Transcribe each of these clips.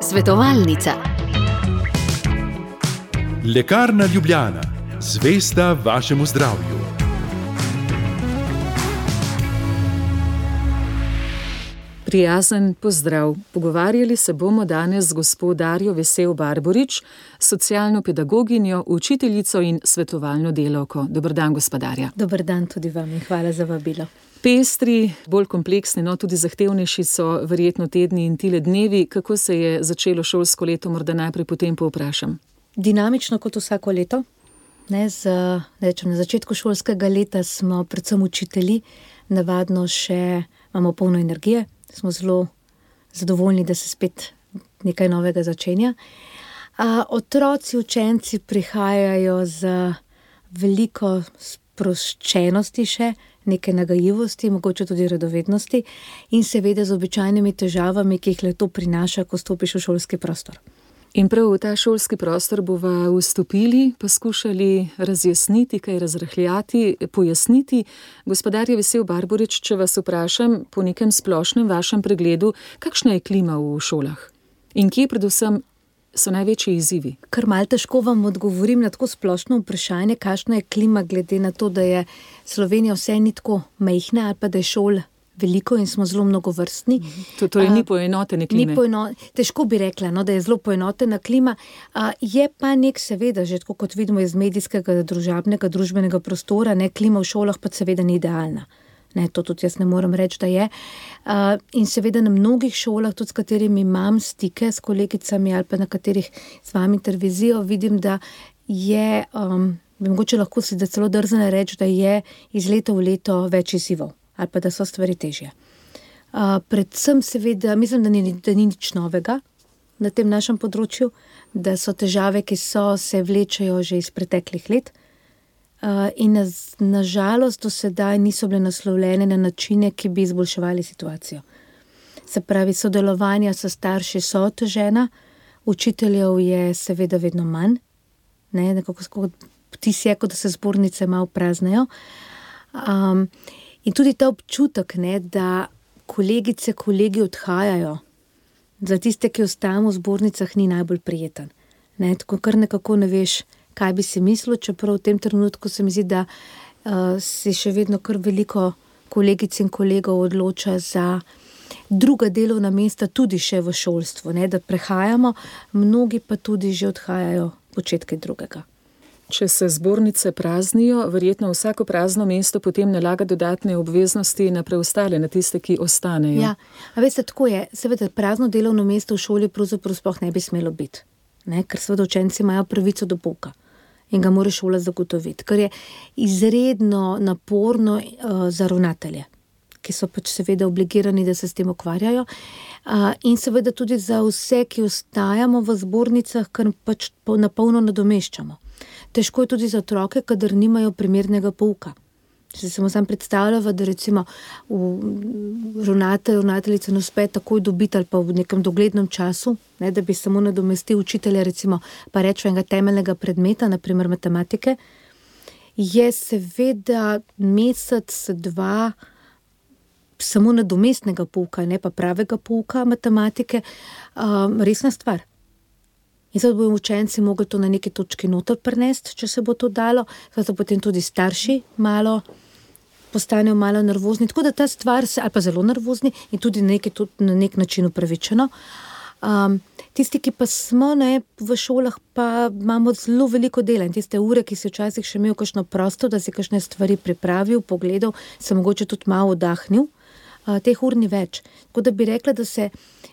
Svetovalnica. Lekarna Ljubljana, zvesta vašemu zdravju. Prijazen pozdrav. Pogovarjali se bomo danes z gospo Darjo Vesel Barborič, socialno pedagoginjo, učiteljico in svetovalno delavko. Dober dan, gospa Darja. Dober dan tudi vam in hvala za vabilo. Pestri, bolj kompleksni, no tudi zahtevnejši so verjetno tedni in tile dnevi. Kako se je začelo šolsko leto, morda najprej potem povprašam? Dinamično kot vsako leto. Na začetku šolskega leta smo predvsem učitelji, navadno še imamo polno energije. Smo zelo zadovoljni, da se spet nekaj novega začenja. Otroci, učenci prihajajo z veliko sproščenosti še, nekaj nagajivosti, mogoče tudi radovednosti in seveda z običajnimi težavami, ki jih le to prinaša, ko stopiš v šolski prostor. In prav v ta šolski prostor bova vstopili, pa skušali razjasniti, kaj razrahljati, pojasniti. Gospa Darja Vesel Barborič, če vas vprašam po nekem splošnem vašem pregledu, kakšna je klima v šolah? In kje predvsem so največji izzivi? Kar malo težko vam odgovorim na tako splošno vprašanje, kakšna je klima, glede na to, da je Slovenija vse ni tako majhna ali pa da je šol veliko in smo zelo mnogovrstni. Torej ni poenotene klime. Težko bi rekla, da je zelo poenotena klima. Je pa seveda, že tako kot vidimo iz medijskega, družbenega prostora, klima v šolah pa seveda ni idealna. To tudi jaz ne morem reči, da je. In seveda na mnogih šolah, tudi s katerimi imam stike s kolegicami ali pa na katerih s vami intervizijo, vidim, da je, mogoče lahko si da celo drzne reči, da je iz leta v leto več izzivov ali pa da so stvari težje. Predvsem seveda, mislim, da ni nič novega na tem našem področju, da so težave, ki se vlečejo že iz preteklih let in na žalost do sedaj niso bile naslovljene na načine, ki bi izboljševali situacijo. Se pravi, sodelovanja s starši so otežena, učiteljev je seveda vedno manj, nekako vtis je, kot da se zbornice malo praznejo. In tudi ta občutek, da kolegice, kolegi odhajajo, za tiste, ki ostajamo v zbornicah, ni najbolj prijeten. Tako kar nekako ne veš, kaj bi si mislil, čeprav v tem trenutku se mi zdi, da si še vedno kar veliko kolegic in kolegov odloča za druga delovna mesta, tudi še v šolstvu, da prehajamo, mnogi pa tudi že odhajajo početke drugega. Če se zbornice praznijo, verjetno vsako prazno mesto potem nalaga dodatne obveznosti na preostale, na tiste, ki ostanejo. Ja, a veste, tako je. Seveda prazno delovno mesto v šoli pravzaprav sploh ne bi smelo biti, ker seveda učenci imajo pravico do pouka in ga mora šola zagotoviti, kar je izredno naporno za ravnatelje, ki so pač seveda obligirani, da se s tem ukvarjajo, in seveda tudi za vse, ki ostajamo v zbornicah, kar pač na polno nadomeščamo. Težko je tudi za otroke, kadar nimajo primernega pouka. Če se samo predstavljava, da recimo ravnateljica ne uspe takoj dobiti ali pa v nekem doglednem času, da bi samo nadomestil učitelja, recimo pa rečemo enega temeljnega predmeta, naprimer matematike, je seveda mesec, dva samo nadomestnega pouka, ne pa pravega pouka matematike, resna stvar. In zdaj bojo učenci mogli to na neki točki noter prenesti, če se bo to dalo, zdaj potem tudi starši postanejo malo nervozni, tako da ta stvar ali pa zelo nervozni in tudi na nek način upravičeno. Tisti, ki pa smo v šolah, pa imamo zelo veliko dela in tiste ure, ki si včasih še imel kakšno prosto, da si kakšne stvari pripravil, pogledal, se mogoče tudi malo oddahnil, teh ur ni več. Tako da bi rekla, da se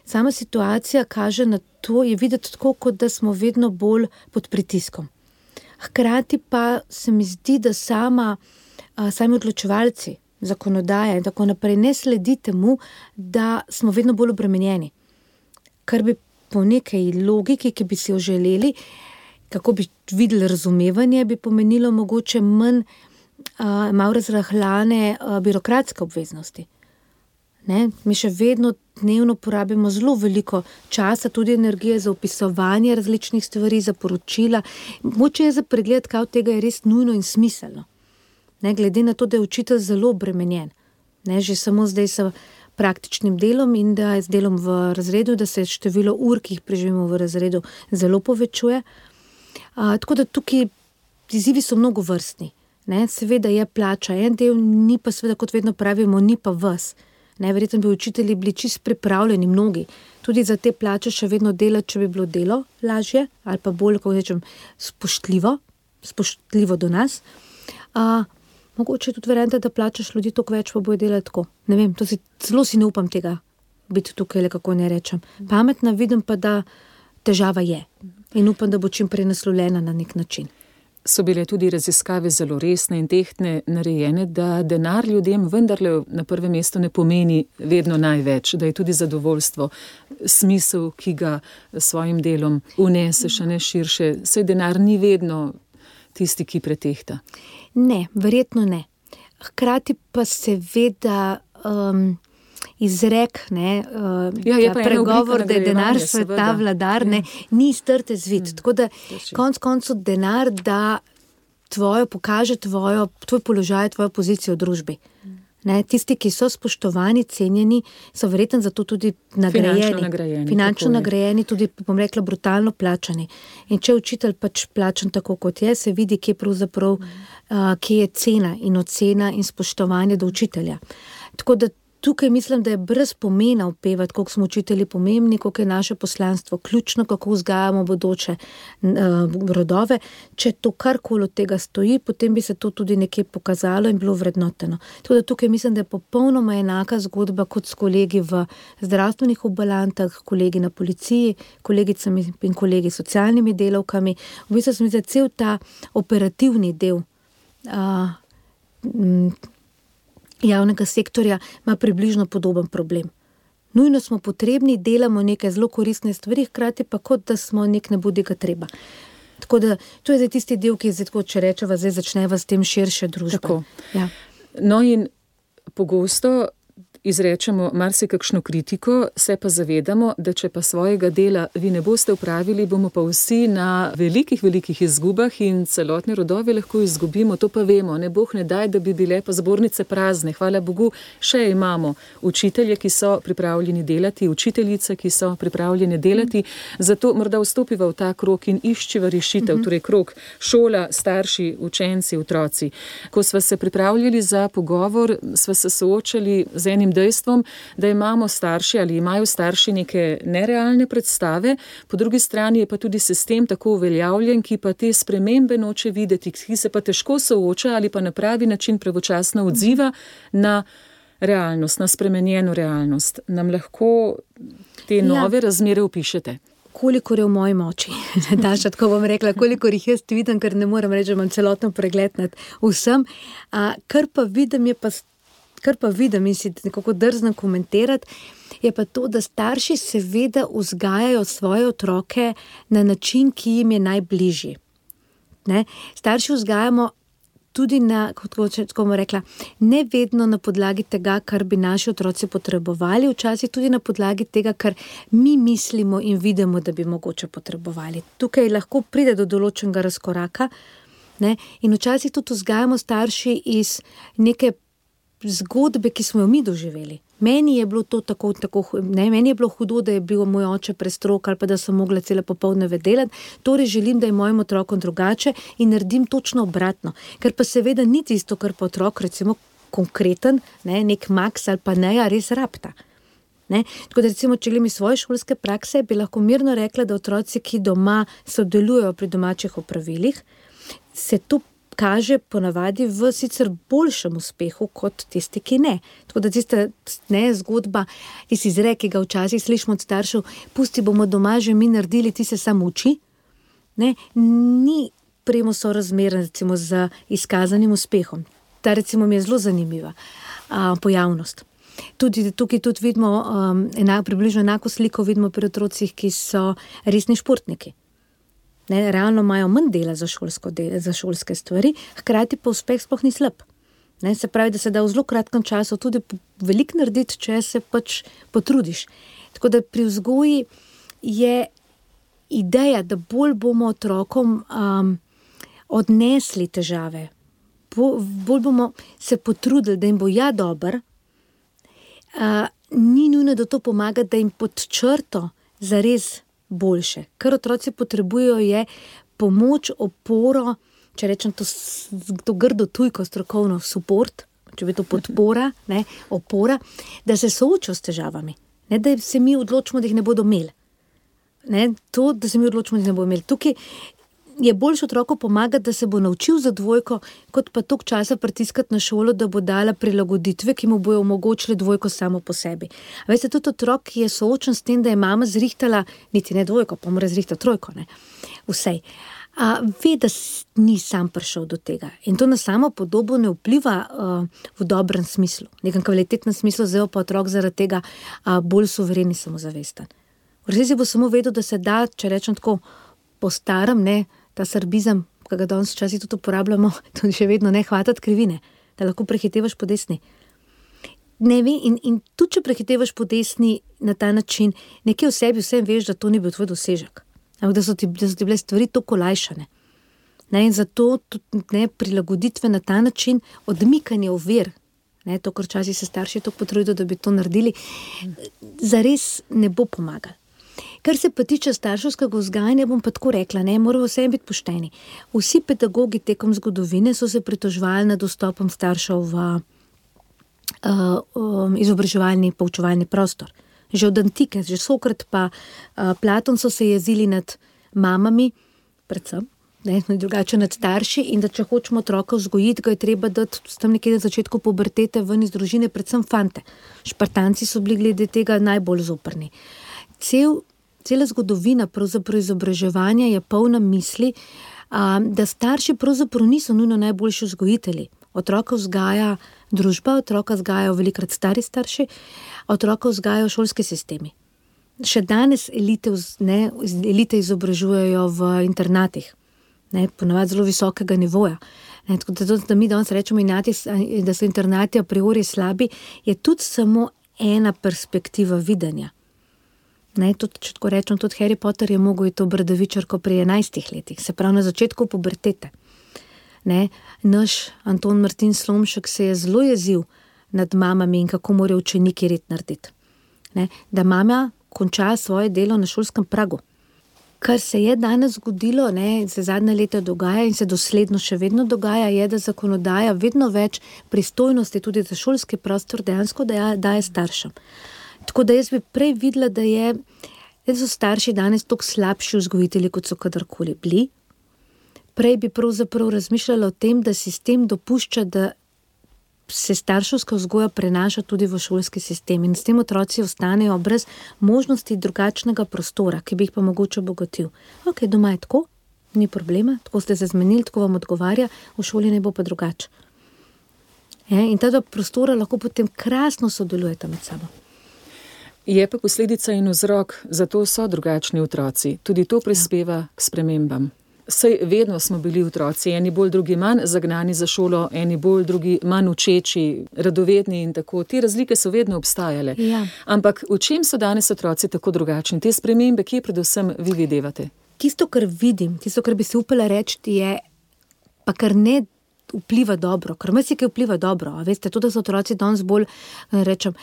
sama situacija kaže na to, je videti tako, kot da smo vedno bolj pod pritiskom. Hkrati pa se mi zdi, da sami odločevalci, zakonodaja in tako naprej ne sledi temu, da smo vedno bolj obremenjeni. Kar bi po nekaj logiki, ki bi si jo želeli, kako bi videli razumevanje, bi pomenilo mogoče malo razrahljane birokratske obveznosti. Mi še vedno dnevno porabimo zelo veliko časa, tudi energije za opisovanje različnih stvari, za poročila. Moče je za pregled, kaj od tega je res nujno in smiselno. Glede na to, da je učitelj zelo obremenjen. Že samo zdaj se praktičnim delom in da z delom v razredu, da se število ur, ki jih preživimo v razredu, zelo povečuje. Tako da tukaj izzivi so mnogo vrstni. Ne? Seveda je plača en del, ni pa seveda, kot vedno pravimo, ni pa ves. Verjetno bi učitelji bili čisto pripravljeni, mnogi, tudi za te plače še vedno delati, če bi bilo delo lažje ali pa bolj, kako rečem, spoštljivo do nas. Mogoče tudi verjamete, da plačaš ljudi toliko več, pa bojo delati tako. Ne vem, zelo si ne upam tega biti tukaj, kako ne rečem. Pametna, vidim pa, da težava je in upam, da bo čim prej naslovljena na nek način. So bile tudi raziskave zelo resne in tehtne narejene, da denar ljudem vendarle na prvem mestu ne pomeni vedno največ, da je tudi zadovoljstvo, smisel, ki ga svojim delom uneseš, a ne širše. Saj denar ni vedno tisti, ki pretehta. Ne, verjetno ne. Hkrati pa seveda izrek, pregovor, da je denar sveta vladar, ni strte zvit. Tako da konec koncev denar da pokaže tvoj položaj, tvojo pozicijo v družbi. Tisti, ki so spoštovani, cenjeni, so verjetno zato tudi nagrajeni. Finančno nagrajeni, tudi, bom rekla, brutalno plačani. In če učitelj pač plačan tako kot je, se vidi, kje je cena in ocena in spoštovanje do učitelja. Tako da tukaj mislim, da je brez pomena opevati, koliko smo učitelji pomembni, koliko je naše poslanstvo ključno, kako vzgajamo bodoče rodove. Če to karkoli od tega stoji, potem bi se to tudi nekje pokazalo in bilo vrednoteno. Tako da tukaj mislim, da je popolnoma enaka zgodba kot s kolegi v zdravstvenih ambulantah, kolegi na policiji, kolegicami in kolegi s socialnimi delavkami. V bistvu se mi zdi, da cel ta operativni del javnega sektorja ima približno podoben problem. Nujno smo potrebni, delamo neke zelo koristne stvari, hkrati pa kot da smo nek nebodiga treba. Tako da to je zdaj tisti del, ki je zdaj, če rečeva, zdaj začneva s tem širše družbe. Ja. No in pogosto izrečemo marsikakšno kritiko, se pa zavedamo, da če pa svojega dela vi ne boste upravili, bomo pa vsi na velikih izgubah in celotne rodove lahko izgubimo, to pa vemo. Ne boh ne daj, da bi bile pa zbornice prazne. Hvala Bogu, še imamo učitelje, ki so pripravljeni delati, učiteljice, ki so pripravljene delati, zato morda vstopiva v ta krog in iščiva rešitev, torej krog šola, starši, učenci, otroci. Ko sva se pripravljali za pogovor, sva se soočali z enim dejstvom, da imamo starši ali imajo starši neke nerealne predstave, po drugi strani je pa tudi sistem tako uveljavljen, ki pa te spremembe noče videti, ki se pa težko sooča ali pa na pravi način pravočasno odziva na realnost, na spremenjeno realnost. Nam lahko te nove razmere opišete? Kolikor je v moji moči, Daša, tako bom rekla, kolikor jih jaz vidim, ker ne moram reči, da imam celotno pregled nad vsem, kar pa vidim in si nekako drznem komentirati, je pa to, da starši seveda vzgajajo svoje otroke na način, ki jim je najbližji. Starši vzgajamo tudi kako bomo rekla, ne vedno na podlagi tega, kar bi naši otroci potrebovali, včasih tudi na podlagi tega, kar mi mislimo in vidimo, da bi mogoče potrebovali. Tukaj lahko pride do določenega razkoraka, in včasih tudi vzgajamo starši iz neke zgodbe, ki smo jo mi doživeli. Meni je bilo to meni je bilo hudo, da je bil moj oče prestrog ali pa da sem mogla cele popoldneve delati, torej želim, da je mojim otrokom drugače in naredim točno obratno. Ker pa seveda ni tisto, kar pa otrok, recimo konkreten, nek Max ali pa Neja res rabta. Tako da recimo, če gledam iz svoje šolske prakse, bi lahko mirno rekla, da otroci, ki doma sodelujejo pri domačih opravilih, se to kaže ponavadi v sicer boljšem uspehu kot tisti, ki ne. Tako da tista zgodba, tisti izrek, ki ga včasih slišimo od staršev, pusti, bomo doma že mi naredili, ti se sam uči, ni premo sorazmerna recimo z izkazanim uspehom. Ta recimo mi je zelo zanimiva pojavnost. Tukaj tudi vidimo približno enako sliko vidimo pri otrocih, ki so resni športniki. Realno imajo manj dela za šolske stvari, hkrati pa uspeh sploh ni slab. Se pravi, da se da v zelo kratkem času tudi veliko narediti, če se pač potrudiš. Tako da pri vzgoji je ideja, da bolj bomo otrokom odnesli težave, bolj bomo se potrudili, da jim bo dober, ni nujno, da to pomaga, da jim pod črto zares boljše. Kar otroci potrebujejo je pomoč, oporo, če rečem to grdo tujko strokovno, support, če bi to podpora, ne, opora, da se soočijo s težavami. Ne, da se mi odločimo, da jih ne bodo imeli. Ne, to, da se mi odločimo, da jih ne bodo imeli. Tukaj je boljše otroku pomagati, da se bo naučil za dvojko, kot pa toliko časa pritiskati na šolo, da bo dala prilagoditve, ki mu bojo omogočili dvojko samo po sebi. A veste, tudi otrok, ki je soočen s tem, da je mama zrihtala, niti ne dvojko, pa mora zrihtati trojko, ne, vsej. Ve, da ni sam prišel do tega. In to na samo podobo ne vpliva v dobrem smislu, nekem kvalitetnem smislu, zdaj pa otrok zaradi tega bolj suveren in samozavesten. V resnici bo samo vedel, da se da, če rečem tako, po starem, ne, ta srbizem, ki ga danes včasih tudi uporabljamo, tudi še vedno ne hvatati krivine, da lahko prehitevaš po desni. Ne ve, in tudi če prehitevaš po desni na ta način, nekje v sebi vsem veš, da to ni bil tvoj dosežek. Ampak da so ti bile stvari toliko olajšane. Ne, in zato tudi, ne, prilagoditve na ta način, odmikanje ovir, ne, to, kar včasih se starši toliko potrudijo, da bi to naredili, zares ne bo pomagal. Kar se pa tiče starševskega vzgajanja, bom pa tako rekla, ne, moramo vsem biti pošteni. Vsi pedagogi tekom zgodovine so se pritoževali nad dostopom staršev v izobraževalni, poučevalni prostor. Že od antike, že Sokrat pa Platon so se jezili nad mamami, predvsem, ne, drugače nad starši, in da če hočemo otroka vzgojiti, ga je treba dati tam nekje na začetku pubertete ven iz družine, predvsem fante. Špartanci so bili glede tega najbolj zoprni. Cela zgodovina pravzaprav izobraževanja je polna misli, da starši pravzaprav niso nujno najboljši vzgojitelji. Otroka vzgaja družba, otroka vzgajajo velikrat stari starši, otroka vzgajajo šolski sistemi. Še danes elite izobražujejo v internatih, ne, ponavadi zelo visokega nivoja. Ne, tako da mi danes rečemo, da so internati a priori slabi, je tudi samo ena perspektiva videnja. Ne, tudi, če tako rečem, tudi Harry Potter je mogel iti v Bradavičarko pri 11 letih, se pravi na začetku pubertete. Ne, naš Anton Martin Slomšek se je zelo jezil nad mamami in kako morajo učeniki red narediti. Ne, da mama konča svoje delo na šolskem pragu. Kar se je danes zgodilo, ne, se zadnje leta dogaja in se dosledno še vedno dogaja, je, da zakonodaja vedno več pristojnosti tudi za šolski prostor dejansko daje staršem. Tako da jaz bi prej videla, da so starši danes toliko slabši vzgojitelji, kot so kadarkoli bili. Prej bi pravzaprav razmišljala o tem, da sistem dopušča, da se starševska vzgoja prenaša tudi v šolski sistem in s tem otroci ostanejo brez možnosti drugačnega prostora, ki bi jih pa mogoče obogatil. Ok, doma je tako, ni problema, tako ste se zmenili, tako vam odgovarja, v šoli ne bo pa drugače. In ta dva prostora lahko potem krasno sodelujeta med sabo. Je pa posledica in vzrok, zato so drugačni otroci. Tudi to prispeva k spremembam. Saj vedno smo bili otroci, eni bolj, drugi manj zagnani za šolo, eni bolj, drugi manj učeči, radovedni in tako. Te razlike so vedno obstajale. Ja. Ampak v čem so danes otroci tako drugačni? Te spremembe, kje predvsem vi videvate? Tisto, kar vidim, tisto, kar bi si upala reči, je pa kar ne vpliva dobro, ker marsikaj vpliva dobro. A veste, to, da so otroci danes bolj, rečem,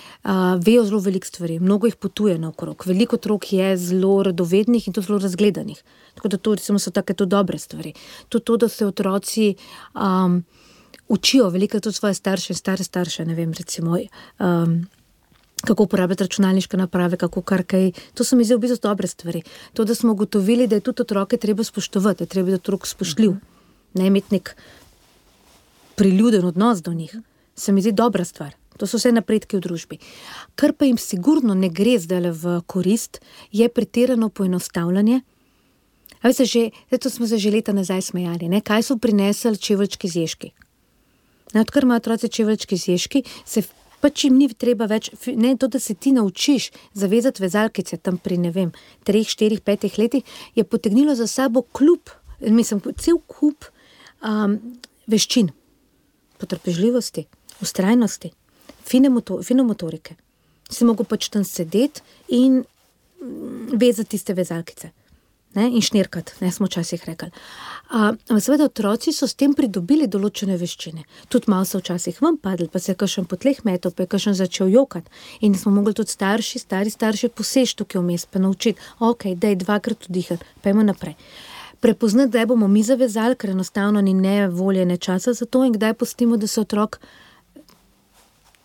vejo zelo veliko stvari, mnogo jih potuje naokrog. Veliko otrok je zelo radovednih in tudi zelo razgledanih. Tako da to, recimo, so take to dobre stvari. To, da se otroci učijo veliko tudi svoje starše in stare starše, ne vem, recimo, kako uporabljati računalniške naprave, kako kar kaj. To so mi zdaj v bistvu dobre stvari. To, da smo ugotovili, da je tudi otroke treba spoštovati, da je treba biti otrok spoštljiv, ne imeti nek priljuden odnos do njih, se mi zdi dobra stvar. To so vse napredki v družbi. Kar pa jim sigurno ne gre zdaj v korist, je pretirano poenostavljanje. A veste, to smo se že leta nazaj smejali, ne? Kaj so prinesli čeveljčki z ježki? Odkar imajo otroci čeveljčki z ježki, se pač jim ni treba več, ne, to, da se ti naučiš zavezati vezalkice tam pri, ne vem, 3, 4, 5 letih, je potegnilo za sabo cel kup veščin. Potrpežljivosti, vztrajnosti, fine motorike. Si mogel pač tam sedeti in vezati tiste vezalkice. in šnirkat, smo včasih rekli. Seveda otroci so s tem pridobili določene veščine. Tudi malo so včasih ven padli, pa se je kakšen po tleh metal, pa je kakšen začel jokati. In smo mogli tudi stari starši poseči tukaj vmes, pa naučiti, daj 2krat vdihati, pa idemo naprej. Prepoznati, kdaj bomo mi zavezali, ker enostavno ni ne volje, ne časa za to, in kdaj pustimo, da se otrok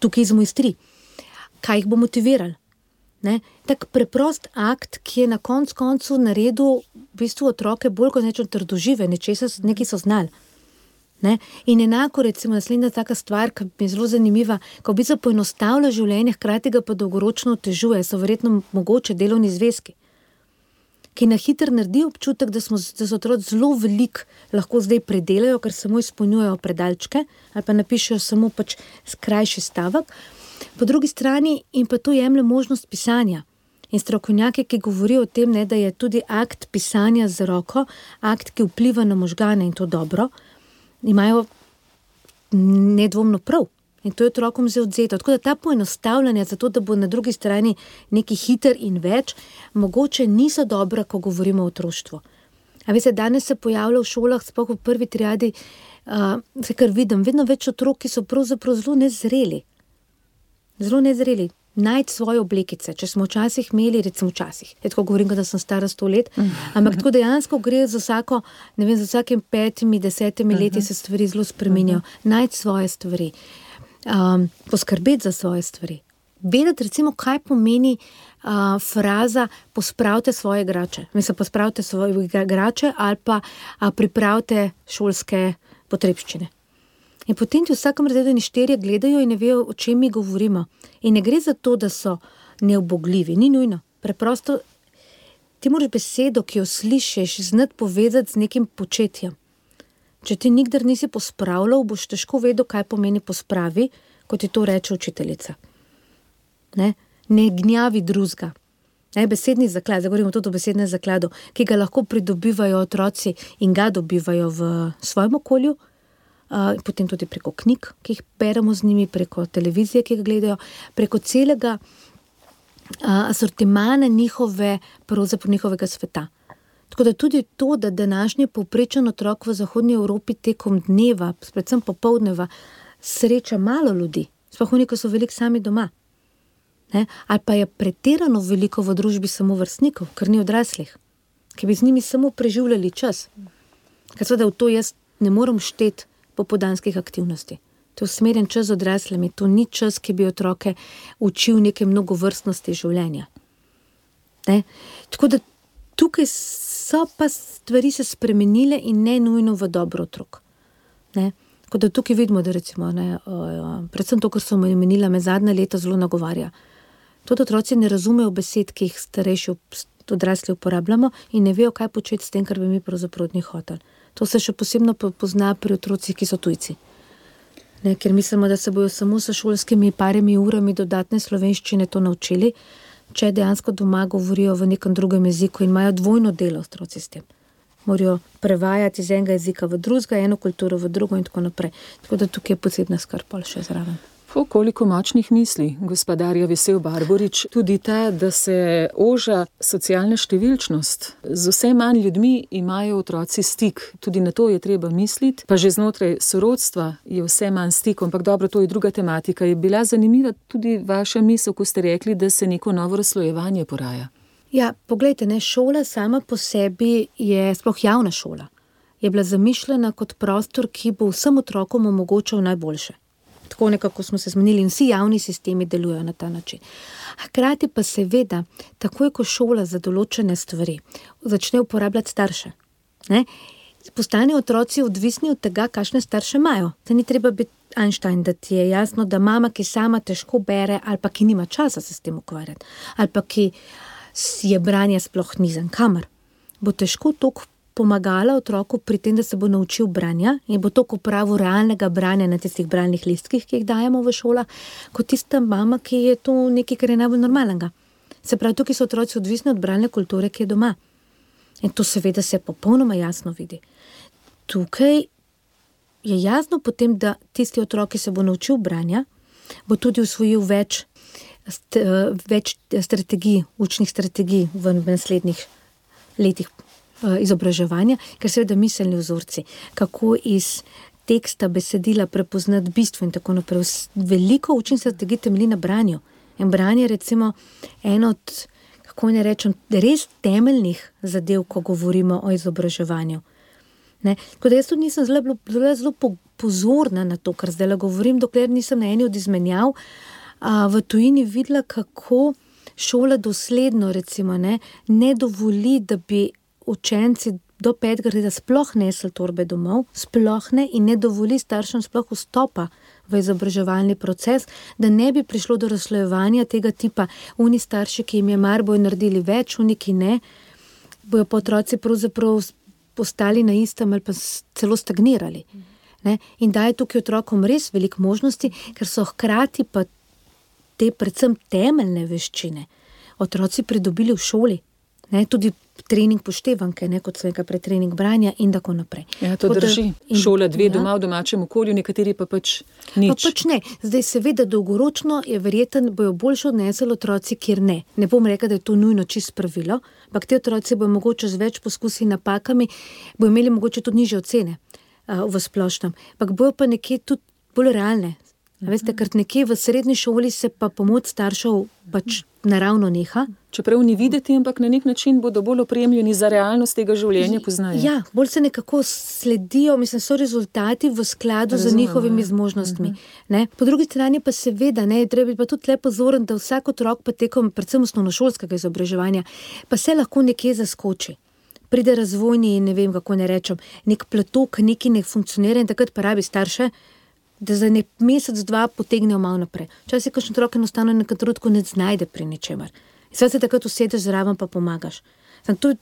tukaj izmojstri. Kaj jih bo motivirali? Tak preprost akt, ki je na koncu naredil v bistvu otroke bolj kot nečem trdožive, nekaj so znali. In enako, recimo, naslednja taka stvar, ki mi je zelo zanimiva, ko v bistvu poenostavlja življenje, hkrati ga pa dolgoročno otežuje, so verjetno mogoče delovni zvezki, ki na hitro naredi občutek, da so otroci zelo veliko lahko zdaj predelajo, ker samo izpolnjujejo predalčke ali pa napišejo samo krajši stavek. Po drugi strani in pa to jemlje možnost pisanja. In strokovnjaki, ki govorijo o tem, da je tudi akt pisanja z roko, akt, ki vpliva na možgane in to dobro, imajo nedvomno prav. In to je otrokom zdaj odzeto. Tako da ta poenostavljanja, zato da bo na drugi strani neki hiter in več, mogoče niso dobra, ko govorimo o otroštvu. A veste, danes se pojavlja v šolah, sploh v prvi triadi, se kar vidim, vedno več otrok, ki so pravzaprav zelo nezreli. Zelo nezreli. Najti svoje oblekice. Če smo včasih imeli, recimo včasih, tako govorim, da sem stara 100 let, ampak tako dejansko gre za vsako, ne vem, za vsakim 5-10 leti se stvari zelo spreminjajo. Najti svoje stvari. Poskrbeti za svoje stvari. Vedeti, recimo, kaj pomeni fraza pospravite svoje igrače. Mislim, pospravite svoje igrače ali pa pripravite šolske potrebščine. In potem ti v vsakem razredu štirje gledajo in ne vejo, o čem mi govorimo. In ne gre za to, da so neubogljivi, ni nujno. Preprosto ti moraš besedo, ki jo slišiš, znati povezati z nekim početjem. Če ti nikdar nisi pospravljal, boš težko vedel, kaj pomeni pospravi, kot ti to reče učiteljica. Ne gnjavi drugega. Besedni zaklad, zdaj govorimo tudi o besednem zakladu, ki ga lahko pridobivajo otroci in ga dobivajo v svojem okolju, potem tudi preko knjig, ki jih beremo z njimi, preko televizije, ki ga gledajo, preko celega asortimana njihovega sveta. Tako da tudi to, da današnji povprečen otrok v zahodnji Evropi tekom dneva, predvsem popoldneva, sreča malo ljudi, sploh oni, ko so veliko sami doma. Ali pa je pretirano veliko v družbi samovrstnikov, ker ni odraslih, ki bi z njimi samo preživljali čas. Ker seveda v to jaz ne morem šteti popoldanskih aktivnosti. To je usmerjen čas z odraslimi, to ni čas, ki bi otroke učil neke mnogovrstnosti življenja. Tako da tukaj so pa stvari se spremenile in ne nujno v dobro otrok. Tako da tukaj vidimo, da recimo, predvsem to, kar so omenila, me zadnja leta zelo nagovarja. Tudi otroci ne razumejo besed, ki jih starejši odrasli uporabljamo in ne vejo, kaj početi s tem, kar bi mi pravzaprav od njih hoteli. To se še posebno pozna pri otrocih, ki so tujci. Ker mislimo, da se bojo samo s šolskimi parimi urami dodatne slovenščine to naučili, če dejansko doma govorijo v nekem drugem jeziku in imajo dvojno delo otroci s tem. Morajo prevajati iz enega jezika v drugega, eno kulturo v drugo in tako naprej. Tako da tukaj je posebna skrb še zraven. Koliko močnih misli, gospodarja Vesel Barborič, tudi ta, da se oža socialna številčnost. Z vse manj ljudmi imajo otroci stik, tudi na to je treba misliti, pa že znotraj sorodstva je vse manj stikov, ampak dobro, to je druga tematika. Je bila zanimiva tudi vaša misel, ko ste rekli, da se neko novo razslojevanje poraja? Ja, poglejte, šola sama po sebi je, sploh javna šola, je bila zamišljena kot prostor, ki bo vsem otrokom omogočal najboljše. Tako nekako smo se zmenili in vsi javni sistemi delujejo na ta način. Hkrati pa seveda, takoj ko šola za določene stvari začne uporabljati starše, postanejo otroci odvisni od tega, kakšne starše imajo. Da ni treba biti Einstein, da ti je jasno, da mama, ki sama težko bere ali pa ki nima časa se s tem ukvarjati, ali pa ki je branje sploh nizen kamer, bo težko toliko pomagala otroku pri tem, da se bo naučil branja in bo toliko upravil realnega branja na tistih bralnih listkih, ki jih dajemo v šolah, kot tista mama, ki je to nekaj, kar je najbolj normalnega. Se pravi, tukaj so otroci odvisni od bralne kulture, ki je doma. In to seveda se popolnoma jasno vidi. Tukaj je jasno potem, da tisti otrok, ki se bo naučil branja, bo tudi usvojil več strategij, učnih strategij v naslednjih letih izobraževanja, ker seveda miselni vzorci, kako iz teksta, besedila prepoznati bistvo in tako naprej. Veliko učnih strategij temelji na branju. In branje je recimo eno od, kako ne rečem, res temeljnih zadev, ko govorimo o izobraževanju. Ne? Tako da jaz tudi nisem zelo pozorna na to, kar zdaj govorim, dokler nisem na eni od izmenjav v tujini videla, kako šola dosledno recimo ne dovoli, da bi učenci do 5. razreda sploh nesli torbe domov, sploh ne, in ne dovoli staršem sploh vstopa v izobraževalni proces, da ne bi prišlo do razslojevanja tega tipa. Oni starši, ki jim je mar, bojo naredili več, oni, ki ne, bojo pa otroci pravzaprav postali na istem ali pa celo stagnirali. Ne? In daje tukaj otrokom res veliko možnosti, ker so hkrati pa te predvsem temeljne veščine otroci pridobili v šoli. Ne? Tudi trening poštevanke, kot sem rekla, pretrening branja in tako naprej. Ja, to drži. Šola 2 doma v domačem okolju, nekateri pa pač nič. Pa pač ne. Zdaj seveda dolgoročno je verjetno, bojo boljše odnesli otroci, kjer ne. Ne bom rekla, da je to nujno čisto pravilo, ampak te otroci bojo mogoče z več poskusi in napakami, bojo imeli mogoče tudi nižje ocene v splošnem. Ampak bojo pa nekje tudi bolj realne. Veste, ker nekje v srednji šoli se pa pomoč staršev pač naravno neha. Čeprav ni videti, ampak na nek način bodo bolj opremljeni za realnost tega življenja poznajo. Ja, bolj se nekako sledijo, so rezultati v skladu z njihovimi zmožnostmi. Ne? Po drugi strani pa seveda, treba biti pa tudi le pozoren, da vsak otrok pa tekom predvsem osnovnošolskega izobraževanja pa se lahko nekje zaskoči. Pride razvojni, ne vem, kako ne rečem, nek platok, neki ne funkcionira in takrat pa rabi starše, da za nek mesec, 2 potegnejo malo naprej. Včasih kakšen otrok enostavno nekaj trenutku ne znajde pri ničemer. In se takrat usedeš zraven pa pomagaš.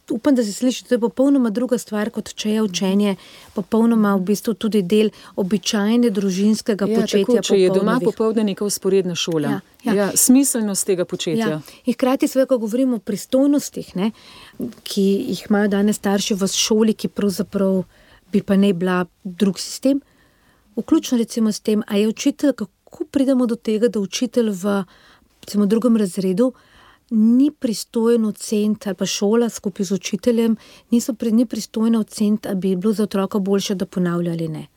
Upam, da se sliši, to je popolnoma druga stvar, kot če je učenje popolnoma v bistvu tudi del običajne družinskega početja. Tako, če je doma popoldne neka vzporedna šola. Ja, smiselnost tega početja. Ja. In hkrati seveda, ko govorimo o pristojnostih, ki jih imajo danes starši v šoli, ki pravzaprav bi pa ne bila drug sistem, vključno recimo s tem, a je učitelj, kako pridemo do tega, da učitelj v recimo 2. razredu ni pristojen oceniti, ali pa šola skupaj z učiteljem, ni pristojna oceniti, ali bi bilo za otroka boljše, da ponavlja ali ne.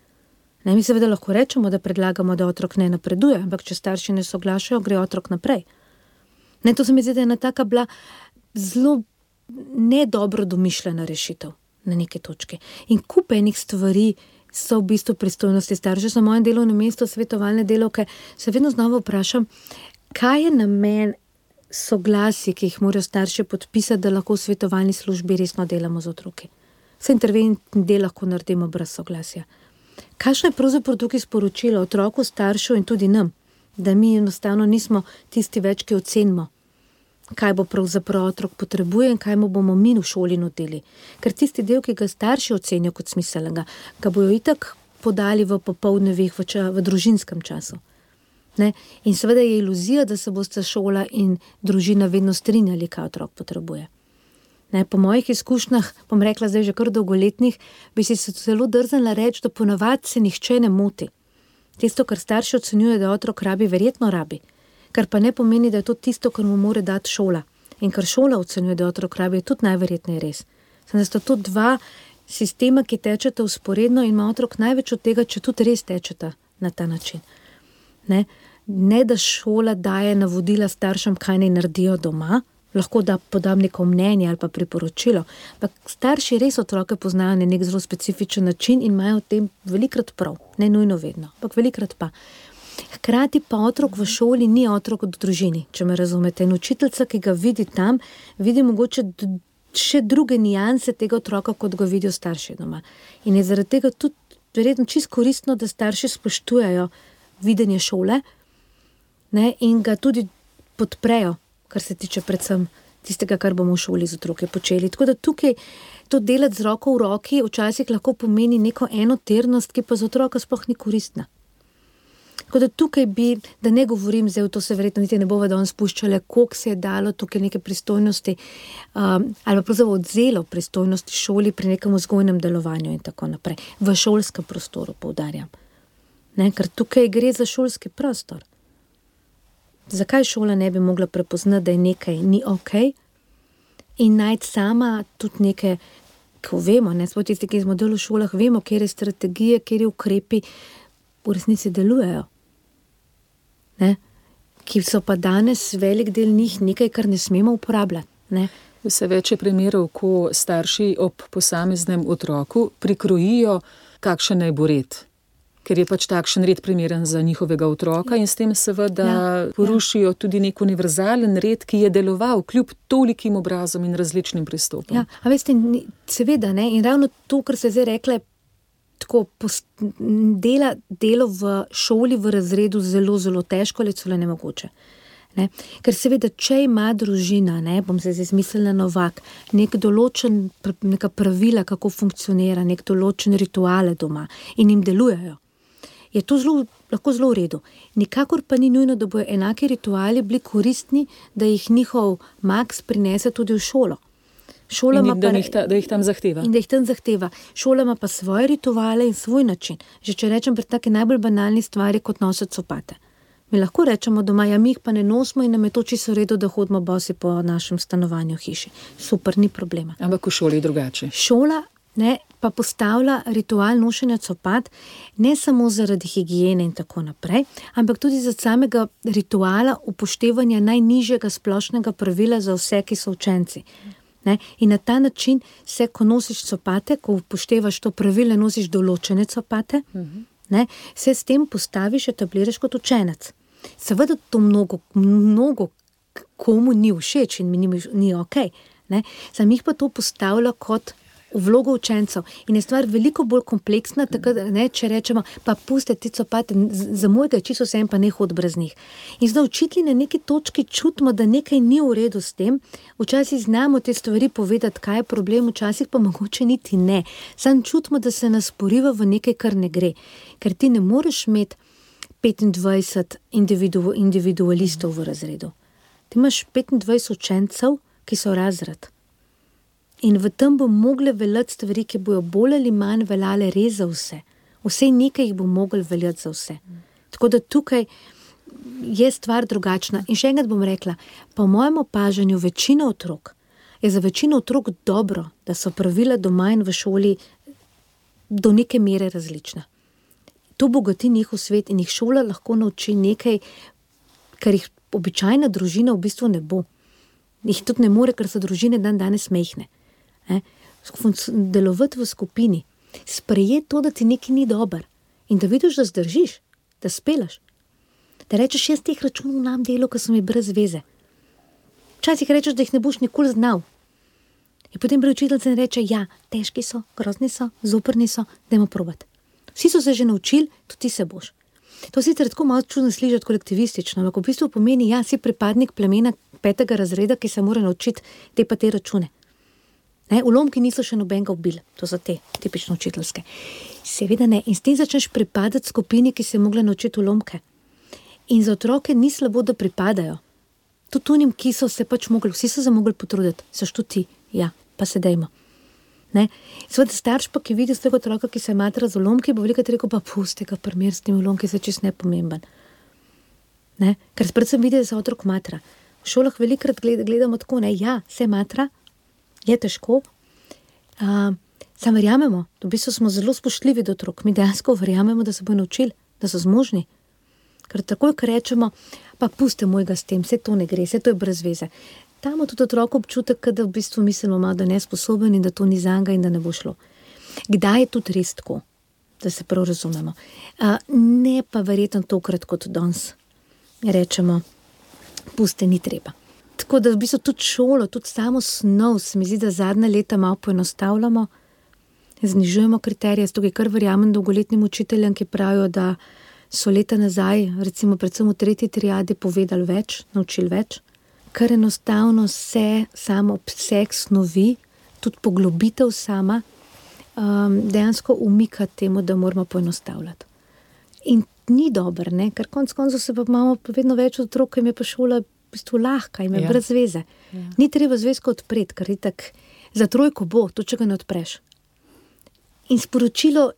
Mi seveda lahko rečemo, da predlagamo, da otrok ne napreduje, ampak če starši ne soglašajo, gre otrok naprej. To se mi zdi, da je ena taka bila zelo nedobro domišljena rešitev na neke točke. In kup enih stvari so v bistvu pristojnosti staršev. Na mojem delovnem mestu svetovalne delavke se vedno znova vprašam, kaj je namen soglasij, ki jih morajo starši podpisati, da lahko v svetovalni službi resno delamo z otroki. Vse interventni del lahko naredimo brez soglasja. Kakšno je pravzaprav tukaj sporočilo otroku, staršev in tudi nam, da mi enostavno nismo tisti več, ki ocenimo, kaj bo pravzaprav otrok potrebuje in kaj mu bomo mi v šoli nudili. Ker tisti del, ki ga starši ocenijo kot smiselnega, ga bojo itak podali v popoldnevih, v družinskem času. In seveda je iluzija, da se bosta šola in družina vedno strinjali, kaj otrok potrebuje. Po mojih izkušnjah, bom rekla zdaj že kar dolgoletnih, bi si se zelo drznila reči, da ponavadi se nihče ne moti. Tisto, kar starši ocenjuje, da otrok rabi, verjetno rabi. Kar pa ne pomeni, da je to tisto, kar mu mora dati šola. In kar šola ocenjuje, da otrok rabi, je tudi najverjetneje res. Da sta to 2 sistema, ki tečeta vzporedno in ima otrok največ od tega, če tudi res tečeta na ta način. Ne da šola daje navodila staršem, kaj naj naredijo doma, lahko da podam neko mnenje ali pa priporočilo, ampak starši res otroke poznajo na nek zelo specifičen način in imajo v tem velikrat prav. Ne nujno vedno, ampak velikrat pa. Hkrati pa otrok v šoli ni otrok v družini, če me razumete. In učiteljica, ki ga vidi tam, vidi mogoče še druge nijanse tega otroka, kot ga vidijo starši doma. In je zaradi tega tudi verjetno čisto koristno, da starši spoštujejo videnje šole, in ga tudi podprejo, kar se tiče predvsem tistega, kar bomo v šoli z otroke počeli. Tako da tukaj to delati z roko v roki včasih lahko pomeni neko enoternost, ki pa za otroka sploh ni koristna. Tako da tukaj bi, da ne govorim zdaj, to se verjetno niti ne bova danes spuščale, koliko se je dalo tukaj neke pristojnosti ali pa pravzaprav odzelo pristojnosti šoli pri nekem vzgojnem delovanju in tako naprej. V šolskem prostoru, poudarjam. Ker tukaj gre za šolski prostor. Zakaj šola ne bi mogla prepoznati, da je nekaj ni okej in najti sama tudi neke ko vemo, ne, smo tisti, ki smo delali v šolah, vemo, kjer je strategije, kjer je ukrepi v resnici delujejo. Ne? Ki so pa danes velik del njih nekaj, kar ne smemo uporabljati. Ne? Vse več je primerov, ko starši ob posameznem otroku prikrojijo, kakšen naj bo red. Ker je pač takšen red primeren za njihovega otroka in s tem seveda porušijo tudi nek univerzalen red, ki je deloval kljub tolikim obrazom in različnim pristopom. Ja, a veste, seveda, ne, in ravno to, kar se zdaj rekla, tako delo v šoli, v razredu zelo, zelo težko ali celo nemogoče. Ne? Ker seveda, če ima družina, ne, bom se zdaj zmislila Novak, neka pravila, kako funkcionira, nek določen rituale doma in jim delujejo, je to lahko zelo v redu. Nikakor pa ni nujno, da bojo enaki rituali bili koristni, da jih njihov Max prinese tudi v šolo. Da jih tam zahteva. In da jih tam zahteva. Šola ima pa svoje rituale in svoj način. Že če rečem pri take najbolj banalni stvari, kot nositi copate. Mi lahko rečemo doma, ja, mi jih pa ne nosimo in nam je to čisto v redu, da hodimo bosi po našem stanovanju hiši. Super, ni problema. Ampak v šoli je drugače. Šola pa postavlja ritual nošenja copat ne samo zaradi higiene in tako naprej, ampak tudi za samega rituala upoštevanja najnižjega splošnega pravila za vse, ki so učenci. Ne? In na ta način se, ko nosiš copate, ko upoštevaš to pravilo, nosiš določene copate, ne? Se s tem postaviš, etabliraš kot učenec. Seveda to mnogo komu ni všeč in mi ni okej. Sam jih pa to postavlja kot v vlogo učencev. In je stvar veliko bolj kompleksna, tako da, ne, če rečemo, pa puste ti copate, za mojega čisto vsem pa ne hod brez njih. In zdaj učitelji na neki točki čutimo, da nekaj ni v redu s tem, včasih znamo te stvari povedati, kaj je problem, včasih pa mogoče niti ne. Sam čutimo, da se nas poriva v nekaj, kar ne gre. Ker ti ne moreš imeti 25 individualistov v razredu. Ti imaš 25 učencev, ki so razred. In v tem bo mogle veljati stvari, ki bojo bolj ali manj veljale res za vse. Vsej nekaj jih bo mogli veljati za vse. Tako da tukaj je stvar drugačna. In še enkrat bom rekla, po mojem opažanju večina otrok, je za večino otrok dobro, da so pravila doma in v šoli do neke mere različna. To bogati njihov svet in jih šola lahko nauči nekaj, kar jih običajna družina v bistvu ne bo. Jih tudi ne more, ker so družine danes mehne. Delovati v skupini, sprejeti to, da ti nekaj ni dober in da vidiš, da zdržiš, da spelaš. Da rečeš, jaz teh računov nam delo, ko so mi brez veze. Včasih rečeš, da jih ne boš nikoli znal. In potem učiteljica reče, ja, težki so, grozni so, zoprni so, dajmo probati. Vsi so se že naučili, tudi ti se boš. To sicer tako malo čudno slišati kolektivistično, ampak v bistvu pomeni, ja, si pripadnik plemena 5. razreda, ki se mora naučiti te pa te račune. Ulomki niso še nobenega ubili, to so te tipično učiteljske. Seveda ne, in s tem začneš pripadati skupini, ki se je mogla naučiti ulomke. In za otroke ni slabo, da pripadajo. Tudi unim, ki so se pač mogli, vsi so se mogli potruditi, saš tudi ti, ja, pa se dejmo. Seveda starš pa, ki vidi z tega otroka, ki se matra z ulomki, bo veliko rekel, pa pusti ga primer s tem ulomki, se čist nepomemben. Ker predvsem vidi, da se otrok matra. V šolah velikrat gledamo tako, ja, se matra, je težko. Sam verjamemo, v bistvu smo zelo spoštljivi do otrok. Mi dejansko verjamemo, da se bojo naučili, da so zmožni. Ker takoj, ko rečemo, pa pusti mojega s tem, vse to ne gre, vse to je brez veze. Tam tudi otrok občutek, da v bistvu mislimo malo, da je nesposoben in da to ni zanga in da ne bo šlo. Kdaj je tudi res tako, da se prav razumemo? Ne pa verjetno tokrat kot danes. Rečemo, pusti, ni treba. Tako da v bistvu tudi šolo, tudi samo snov, se mi zdi, da zadnja leta malo poenostavljamo, znižujemo kriterije, tukaj kar verjamem dolgoletnim učiteljem, ki pravijo, da so leta nazaj, recimo predvsem v 3. triadi, povedali več, naučili več, ker enostavno se samo obseg snovi, tudi poglobitev sama, dejansko umika temu, da moramo poenostavljati. In ni dober, ne? Ker konec koncev se pa imamo vedno več otrok, jim je pa šola v bistvu lahka, jim je brez veze. Ni treba zvezko odpreti, ker itak za trojko bo, to če ga ne odpreš. In sporočilo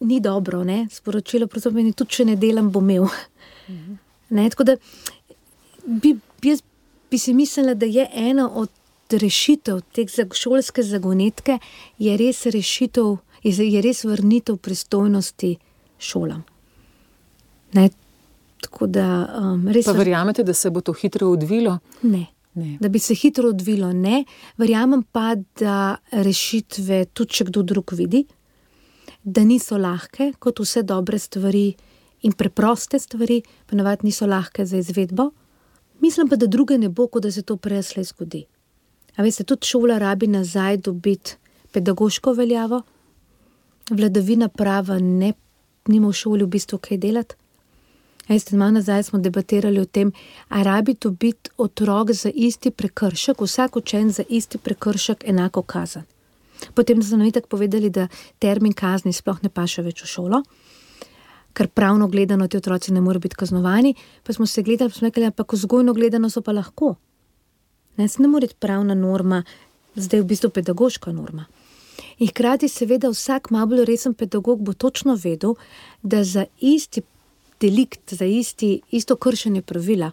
ni dobro, ne? Sporočilo pravzaprav tudi, če ne delam, bo imel. Tako da jaz bi si mislila, da je ena od rešitev te šolske zagonetke je res rešitev, je res vrnitev pristojnosti šolam. Ne, tako da res... Pa verjamete, da se bo to hitro odvilo? Ne. Da bi se hitro odvilo, ne. Verjamem pa, da rešitve tudi če kdo drug vidi, da niso lahke, kot vse dobre stvari in preproste stvari, ponavadi niso lahke za izvedbo. Mislim pa, da druge ne bo, kot da se to preslej zgodi. A veste, tudi šola rabi nazaj dobiti pedagoško veljavo, vladavina prava nima v šoli v bistvu kaj delati. Veste, malo nazaj smo debatirali o tem, a rabi dobiti otrok za isti prekršek, vsak učenec za isti prekršek enako kazen. Potem so nam itak povedali, da termin kazni sploh ne paše več v šolo, ker pravno gledano ti otroci ne morejo biti kaznovani, pa smo se gledali, pa smo rekli, ampak vzgojno gledano so pa lahko. Ne more biti pravna norma, zdaj v bistvu pedagoška norma. In hkrati seveda vsak malo bolj resen pedagog bo točno vedel, da za isti delikt, za isto kršenje pravila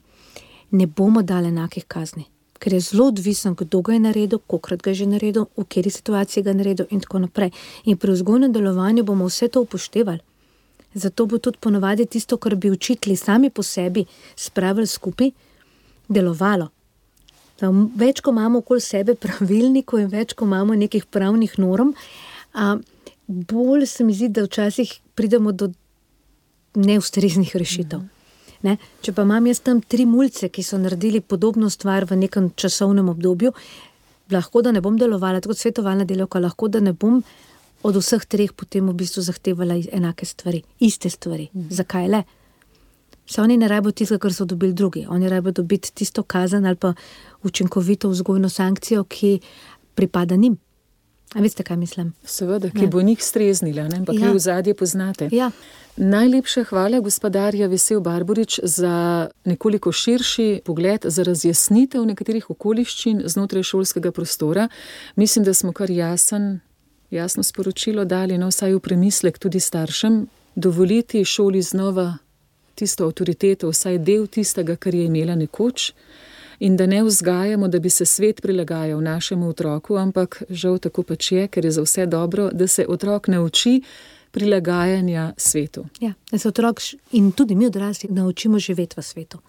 ne bomo dali enakih kazni. Ker je zelo odvisen, kdo ga je naredil, kolikrat ga je že naredil, v kateri situaciji ga je naredil in tako naprej. In pri vzgojnem delovanju bomo vse to upoštevali. Zato bo tudi ponovadi tisto, kar bi učitelji sami po sebi spravili skupaj, delovalo. Več, ko imamo okoli sebe pravilnikov in več, ko imamo nekih pravnih norm, bolj se mi zdi, da včasih pridemo do neustreznih rešitev. Ne? Če pa imam jaz tam 3 mulce, ki so naredili podobno stvar v nekem časovnem obdobju, lahko da ne bom delovala, tako svetovalna delavka, lahko da ne bom od vseh 3 potem v bistvu zahtevala enake stvari, iste stvari. Zakaj le? Se oni ne rabijo tistega, kar so dobili drugi. Oni rabijo dobiti tisto kazen ali pa učinkovito vzgojno sankcijo, ki pripada njim. A veste, kaj mislim? Seveda, ki bo njih streznila, ne? Pa ki v zadje poznate. Ja. Najlepša hvala, gospa Darja Vesel Barborič, za nekoliko širši pogled, za razjasnitev nekaterih okoliščin znotraj šolskega prostora. Mislim, da smo kar jasno sporočilo dali, no, vsaj v premislek tudi staršem, dovoliti šoli znova tisto avtoriteto, vsaj del tistega, kar je imela nekoč, in da ne vzgajamo, da bi se svet prilagajal našemu otroku, ampak žal tako pač je, ker je za vse dobro, da se otrok nauči prilagajanja svetu. Ja, da se otrok in tudi mi odrasli naučimo živeti v svetu.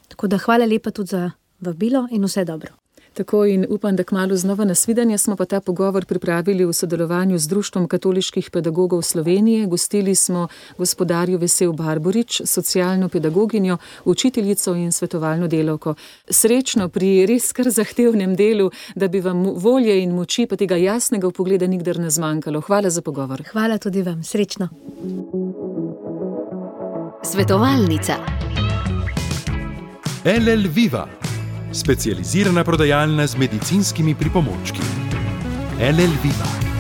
Tako da hvala lepa tudi za vabilo in vse dobro. Tako in upam, da kmalu znova nasvidenje. Smo pa ta pogovor pripravili v sodelovanju z Društvom katoliških pedagogov Slovenije. Gostili smo gospo Darjo Vesel Barborič, socialno pedagoginjo, učiteljico in svetovalno delavko. Srečno pri res kar zahtevnem delu, da bi vam volje in moči pa tega jasnega vpogleda nikdar ne zmanjkalo. Hvala za pogovor. Hvala tudi vam. Srečno. Svetovalnica. LL Viva. Specializirana prodajalna z medicinskimi pripomočki. LL Viva.